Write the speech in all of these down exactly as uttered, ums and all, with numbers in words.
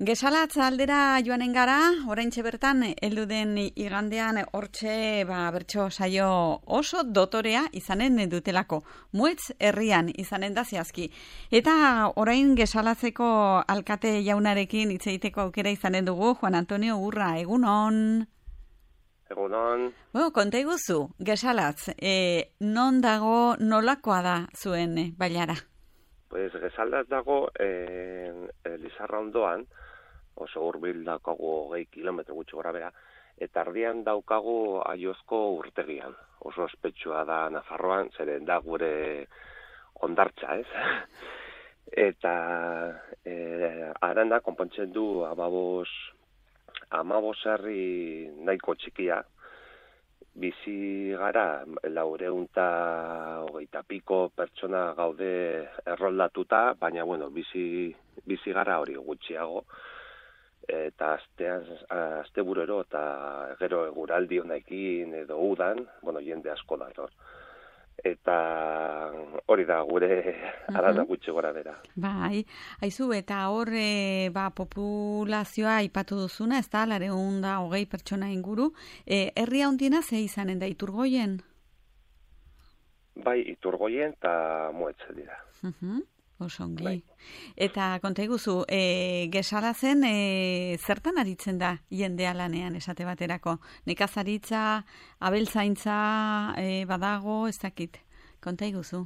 Gesalatz aldera joanen gara, oraintxe bertan, heldu den igandean hortxe ba, bertso saio oso dotorea izanen dutelako. Muetz herrian izanen da zehazki. Eta orain Gesalatzeko alkate jaunarekin hitz egiteko aukera izanen dugu, Juan Antonio Urra, egunon. Egunon. Bueno, konta iguzu, Gesalatz, e, non dago nolakoa da zuen e, bailara? Pues Gesalatz dago eh, Lizarra ondoan, oso hurbil daukagu hogei kilometro gutxi gora bera, eta ardian daukagu Aiozko urtegian. Oso ospetsua da Nafarroan, zeren da gure hondartza, ez? Eta eh, aranda konpontzen du amabos, amabos herri nahiko txikia, bizi gara laureunta hogeita piko pertsona gaude erroldatuta, baina bueno, bizi, bizi gara hori gutxiago, eta astean, asteburero eta gero eguraldi honekin edo udan, bueno, jende asko dator. Eta hori da gure arana gutxi gora bera. Bai, haizu, eta hor e, ba, populazioa aipatu duzuna, ez da, lareun da hogei pertsona inguru. E, herria handiena ze izanen da, Iturgoien? Bai, Iturgoien eta Muetz dira. Uh-huh. Osongi. Bai. Eta konta iguzu, e, Gesalatzen e, zertan aritzen da jendea lanean esate baterako? Nekazaritza, abeltzaintza e, badago, ez dakit. Konta iguzu.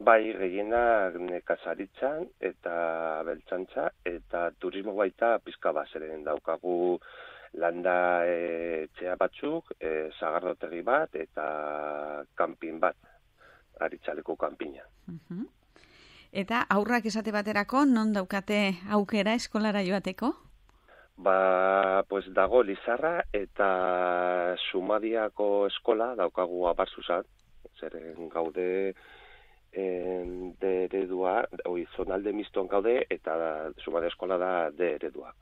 Bai, gehienak nekazaritzan eta abeltzantza eta turismo baita pizka bazeren daukagu landa e, etxea batzuk, e, sagardotegi bat eta kanpin bat, aritxaleko kanpina. Uh-huh. Eta aurrak esate baterako, non daukate aukera eskolara joateko? Ba, pues dago Lizarra eta Sumadiako eskola daukagu Abarzuzan, zeren gaude en, de eredua, oi, zonalde miston gaude, eta Sumadia eskola da de eredua.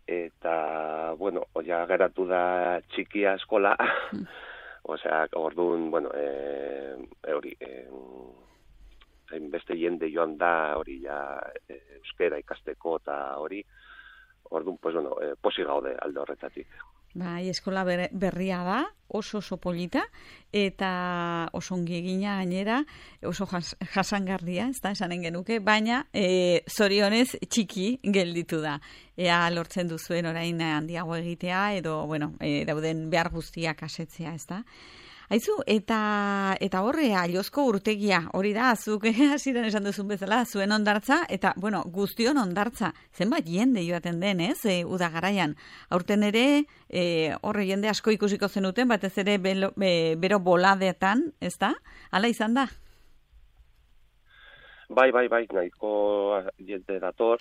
Eta, bueno, oia geratu da txikia eskola, osea, orduan, bueno, e, hori, e, beste jende joan da hori ja e, euskera ikasteko eta hori, orduan, pues bueno, e, posi gaude alde horretatik. Bai, eskola ber, berria da, oso oso polita, eta oso ongi egina gainera, oso jas, jasangarria, ez da, esanen genuke, baina e, zorionez txiki gelditu da. Ea lortzen duzuen orain handiago egitea, edo, bueno, e, dauden behar guztiak asetzea, ez da. Aizu, eta eta horre Aiozko urtegia, hori da, zuk hasieran esan duzun bezala, zuen hondartza, eta, bueno, guztion hondartza, zenbat jende joaten den, ez, e, uda garaian. Aurten ere, e, horre jende asko ikusiko zenuten, batez ere belo, be, bero boladetan, ez da? Hala izan da? Bai, bai, bai, nahiko jende dator,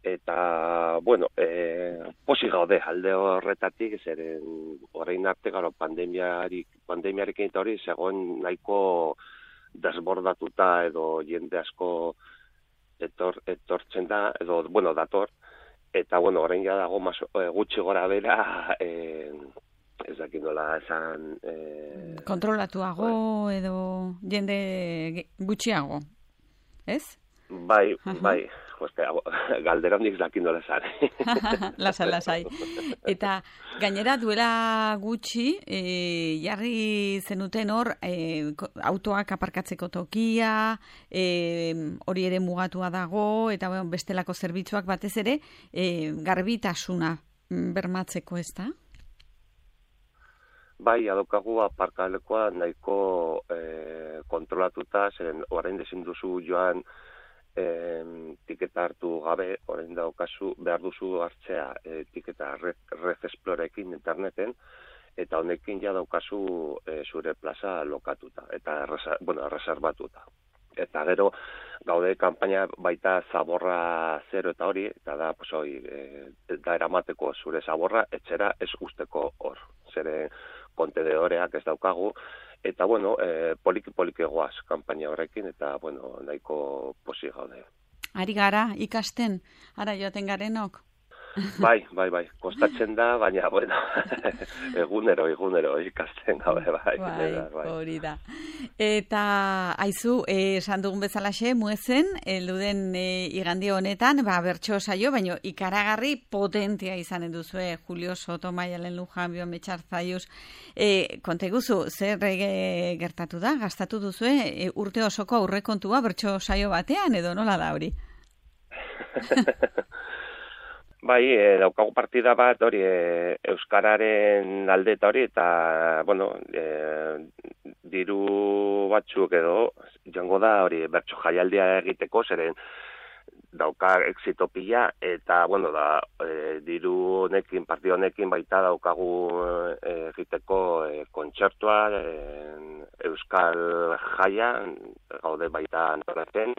eta, bueno, e, posi gaude alde horretatik, zeren orain arte garo pandemiarik, pandemiarekin eta hori zegoen nahiko desbordatuta edo jende asko etor, etortzen da, edo, bueno, dator, eta, bueno, orain ja dago mas, e, gutxi gora bera, e, ez dakit nola esan... E, kontrolatuago bai. Edo jende gutxiago, ez? Bai, uh-huh. bai, joste, galdera nik dakin nola esan. Lasai, lasai. Eta gainera duela gutxi, e, jarri zenuten hor, e, autoak aparkatzeko tokia, e, hori ere mugatua dago, eta bueno, bestelako zerbitzuak batez ere, e, garbitasuna bermatzeko, ez da? Bai, adokagu aparkalekoa nahiko e, kontrolatuta, zeren orain dezin duzu joan E, tiketa hartu gabe, orain daukazu, behar duzu hartzea e, tiketa Red, Red Explorerekin interneten, eta honekin ja daukazu e, zure plaza lokatuta, eta erresa, bueno, reservatuta. Eta gero, gaude kanpaina baita zaborra zero eta hori, eta da, pues, hori, e, da eramateko zure zaborra, etxera ez usteko hor. Zere kontedeoreak ez daukagu, eta, bueno, eh, poliki-poliki egoaz kanpaina horrekin, eta, bueno, nahiko posi gaude. Ari gara, ikasten, ara joaten garenok? Bai, bai, bai, kostatzen da, baina, bueno, egunero, egunero, ikasten gabe, bai. Bai, bai. hori da. Eta, aizu, eh, esan dugun bezalaxe, muezen, elduden eh, igandi honetan, ba, bertso saio, baina ikaragarri potentia izanen duzue, Julio Soto, Maialen Lujanbio, Metxarzaiuz, eh, konta iguzu, zer eh, gertatu da, gastatu duzue, eh, urte osoko aurrekontua bertso saio batean, edo nola da hori? Bai, e, daukagu partida bat hori e, euskararen alde eta hori eta bueno, e, diru batzuk edo joango da hori bertso jaialdia egiteko zeren dauka exito pila eta bueno, da e, diru honekin, partida honekin baita daukagu e, egiteko e, kontzertua e, euskal jaia gaude baita antolatzen.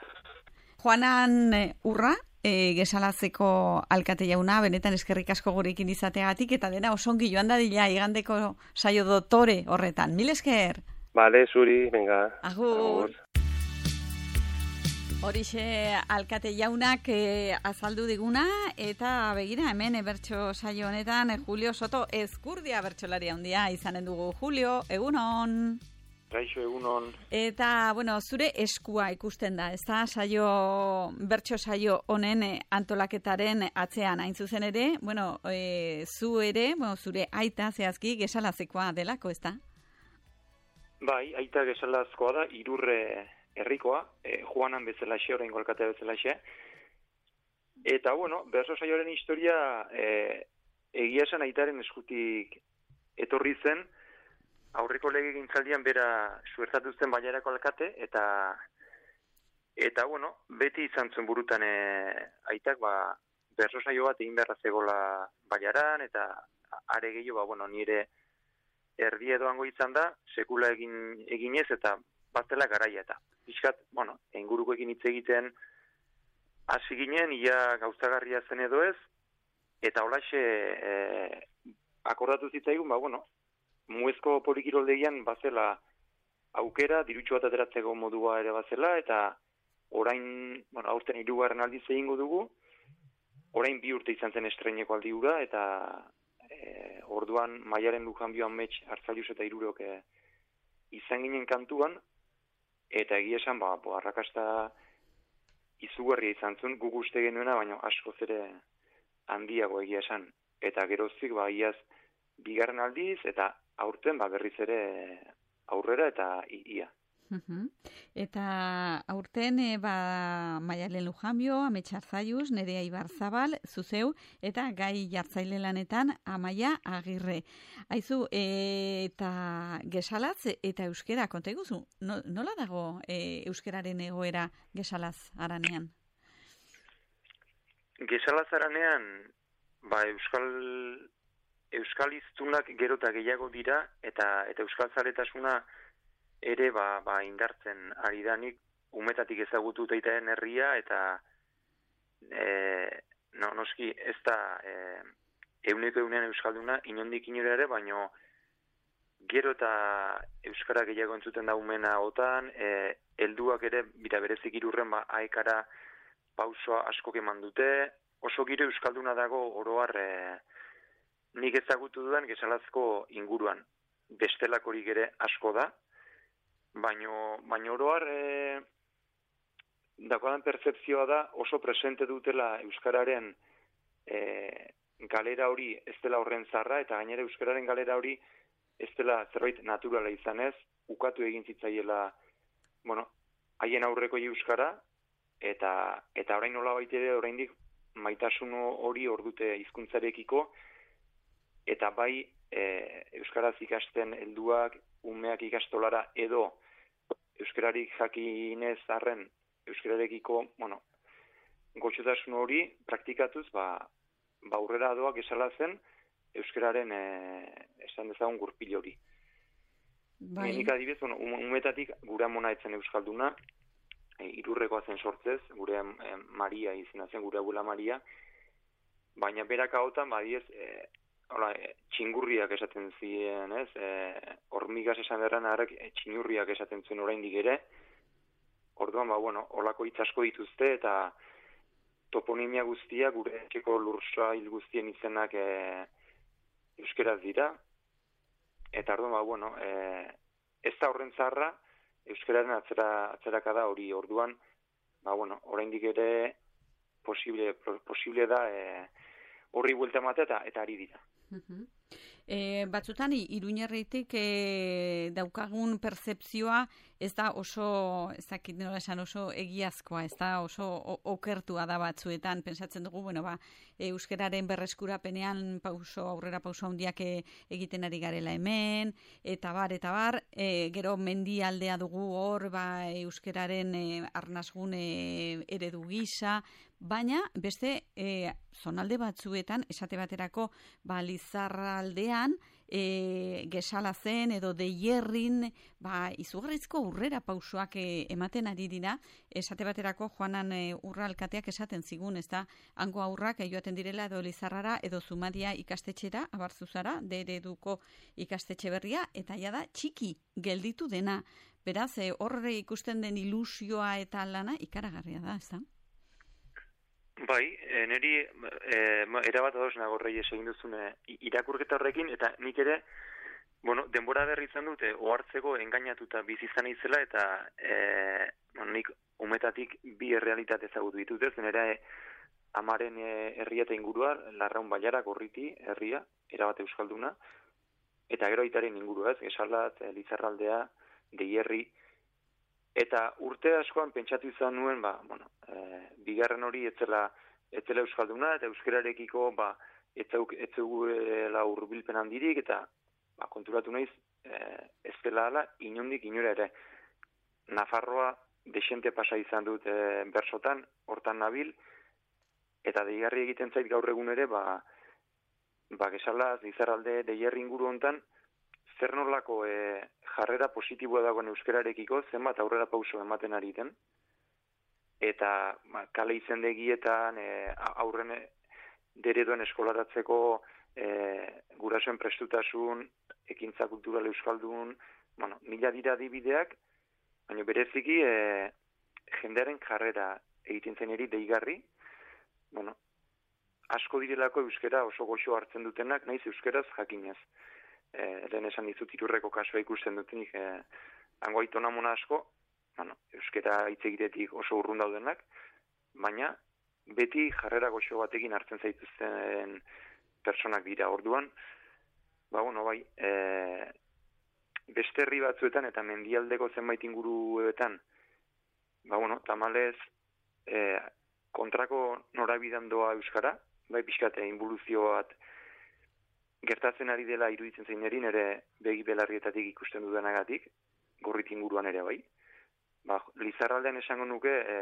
Juanan Urra, e, Gesalazeko alkate jauna, benetan eskerrik asko gurekin izateagatik, eta dena osongi joan dadila igandeko saio dotore horretan. Mil esker! Bale, zuri, venga. Agur! Horixe alkate jaunak e, azaldu diguna, eta begira hemen bertso saio honetan e, Julio Soto Ezkurdia bertsolaria handia izanen dugu. Julio, egunon! Kaixo egunon. Eta, bueno, zure eskua ikusten da, ez da, saio, bertso saio honen antolaketaren atzean, hain zuzen ere, bueno, e, zu ere, bueno, zure aita zehazki Gesalazekoa delako, ez da? Bai, aita Gesalazkoa da, Irurre herrikoa, e, Juanan bezalaxe, oraingo alkatea bezalaxe. Eta, bueno, bertso saioaren historia e, egia esan aitaren eskutik etorri zen, aurreko legegintzaldian bera suertatu zen Bailarako alkate, eta eta bueno, beti izan zuen burutan e, aitak, ba, bertso saio bat egin beharra zegola Bailaran, eta are gehiago, ba, bueno, nire erdi edoango izan da, sekula egin eginez, eta batela garaia eta. Piskat, bueno, ingurukoekin hitz egiten hasi ginen, ia gauzagarria zen edo ez, eta holaxe e, akordatu zitzaigun, ba, bueno, muezko polikiroldegian bazela aukera, dirutxo bat ateratzeko modua ere bazela, eta orain, bueno, aurten hirugarren aldiz egingo dugu, orain bi urte izan zen estreineko aldi hura, eta e, orduan Maialen Lujanbio Amets Arzaiuz eta Hirurok e, izan ginen kantuan, eta egia esan, ba, bo, arrakasta izugarria izan zuen, guk uste genuena, baina askoz ere handiago egia esan. Eta geroztik, ba, iaz, bigarren aldiz, eta aurten ba, berriz ere aurrera eta ia. Uh-huh. Eta aurten e, ba, Maialen Lujanbio, Amets Arzaiuz, Nerea Ibarzabal, zuzeu, eta gai jartzaile lanetan Amaia Agirre. Aizu, e, eta Gesalaz eta euskera, konta iguzu, no, nola dago e, euskeraren egoera Gesalaz aranean? Gesalaz aranean, ba, euskal euskal hiztunak gero eta gehiago dira, eta eta euskal zaletasuna ere ba, ba indartzen ari danik, umetatik ezagutu daitaren herria, eta e, no, noski ez da e, euneko eunean euskalduna, inondik inora ere, baino gero eta euskara gehiago entzuten da umena otan, e, helduak ere, bira berezik Irurren, ba, aekara pausoa askok eman dute, oso giro euskalduna dago oroar e, nik ezagutu dudan Gesalazko inguruan. Bestelakorik ere asko da, baino, baino oroar e, dakoan pertzepzioa da oso presente dutela euskararen e, galera hori ez dela horren zarra, eta gainera euskararen galera hori ez dela zerbait naturala izanez, ukatu egin zitzaiela, bueno, haien aurreko euskara, eta eta orain nola baitere oraindik maitasun hori ordute hizkuntzarekiko, eta bai e, euskaraz ikasten helduak, umeak ikastolara edo euskararik jakinez arren euskararekiko, bueno, gotxotasun hori praktikatuz, ba, ba aurrera doa Gesalazen euskararen e, esan dezagun gurpil hori. Bai. Nik adibidez, bueno, umetatik gure amona etzen euskalduna, e, Irurrekoa zen sortzez, gure e, Maria izena zen, gure abuela Maria, baina berak hautan, ba, diez, e, Hola, e, txingurriak esaten ziren, ez? E, hormigaz esan derran harrek e, txingurriak esaten zuen oraindik ere. Orduan, ba, bueno, holako hitz asko dituzte, eta toponimia guztia, gure etxeko lursail guztien izenak e, euskeraz dira, eta orduan, ba, bueno, e, ez da horren zaharra, euskararen atzera, atzerakada da hori, orduan, ba, bueno, oraindik ere posible, posible da e, horri buelta ematea eta ari dira. Uh-huh. E, batzutan, Iruñerritik e, daukagun pertzepzioa ez da oso, ez dakit nola esan, oso egiazkoa, ez da oso okertua da batzuetan, pensatzen dugu, bueno, ba, euskararen berreskurapenean pauso, aurrera pauso handiak egiten ari garela hemen, eta bar, eta bar, e, gero mendialdea dugu hor, ba, euskararen e, arnasgun e, eredu gisa, baina beste e, zonalde batzuetan, esate baterako, ba, Lizarraldean, e, gesala zen edo deierrin, ba, izugarrizko urrera pausoak e, ematen ari dira, esate baterako Joanan e, urra alkateak esaten zigun, ez da, hango aurrak e, joaten direla edo Lizarrara edo Zumadia ikastetxera, abarzuzara, de ereduko ikastetxe berria, eta ja da txiki gelditu dena. Beraz, e, horre ikusten den ilusioa eta lana ikaragarria da, ez da? Bai, e, niri e, erabat ados nago Reyes egin duzune irakurketa horrekin, eta nik ere, bueno, denbora berri izan dute, ohartzeko engainatuta bizizan izela, eta e, bueno, nik umetatik bi errealitate ezagutu ditut ez, nire amaren e, herria eta ingurua, Larraun Bailara, Gorriti, herria, erabat euskalduna, eta gero aitaren ingurua ez, Gesalat, Lizarraldea, Deierri, eta urte askoan pentsatu izan nuen, ba, bueno, e, bigarren hori etzela, etzela euskalduna, eta euskararekiko, ba, etzeugela hurbilpen handirik, eta ba, konturatu naiz, e, ez dela ala, inondik inora ere. Nafarroa desente pasa izan dut e, bersotan, hortan nabil, eta deigarri egiten zait gaur egun ere, ba, ba Gesalaz, Lizarralde, Deierri inguru hontan, zer nolako e, jarrera positiboa dagoen euskararekiko, zenbat aurrera pauso ematen ari den, eta ba, kale izendegietan e, aurren dereduen eskolaratzeko e, gurasoen prestutasun, ekintza kultural euskaldun, bueno, mila dira adibideak, baina bereziki e, jendearen jarrera egiten zen eri deigarri, bueno, asko direlako euskara oso goxo hartzen dutenak, naiz euskaraz jakinez. E, lehen esan dizut Irurreko kasua ikusten dutenik, e, hango aitona mona asko, bueno, euskara hitz egitetik oso urrun daudenak, baina beti jarrera goxo batekin hartzen zaituzten personak dira orduan, ba, bueno, bai, e, beste herri batzuetan eta mendialdeko zenbait inguruetan, ba, bueno, tamalez, e, kontrako norabidean doa euskara, bai, pixkate, involuzio bat, gertatzen ari dela iruditzen zein erin ere begi belarrietatik ikusten dudanagatik, Gorriti inguruan ere bai. Ba, Lizarraldean esango nuke, e,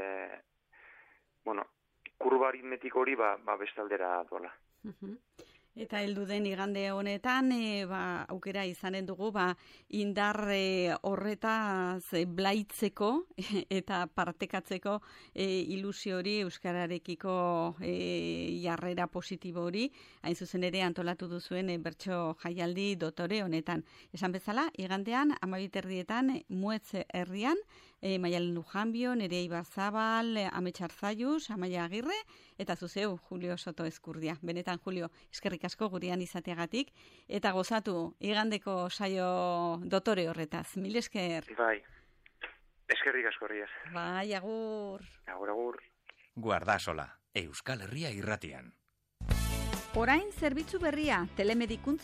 bueno, kurba aritmetik hori ba, ba bestaldera dola. Uh-huh. Eta heldu den igande honetan, e, ba, aukera izanen dugu, ba, indar e, horretaz e, blaitzeko eta partekatzeko e, ilusio hori euskararekiko e, jarrera positibo hori, hain zuzen ere antolatu duzuen e, bertso jaialdi dotore honetan. Esan bezala, igandean, amabiterrietan, Muetz herrian, e, Maialen Lujanbio, Nerea Ibarzabal, Amets Arzalluz, Amaia Agirre, eta zuzeu, Julio Soto Ezkurdia. Benetan, Julio, eskerrik asko gurean izateagatik, eta gozatu igandeko saio dotore horretaz. Mil esker. Bai, eskerrik asko Reyes. Bai, agur. Agur, agur. Guardasola, Euskal Herria irratian. Orain zerbitzu berria, telemedikuntza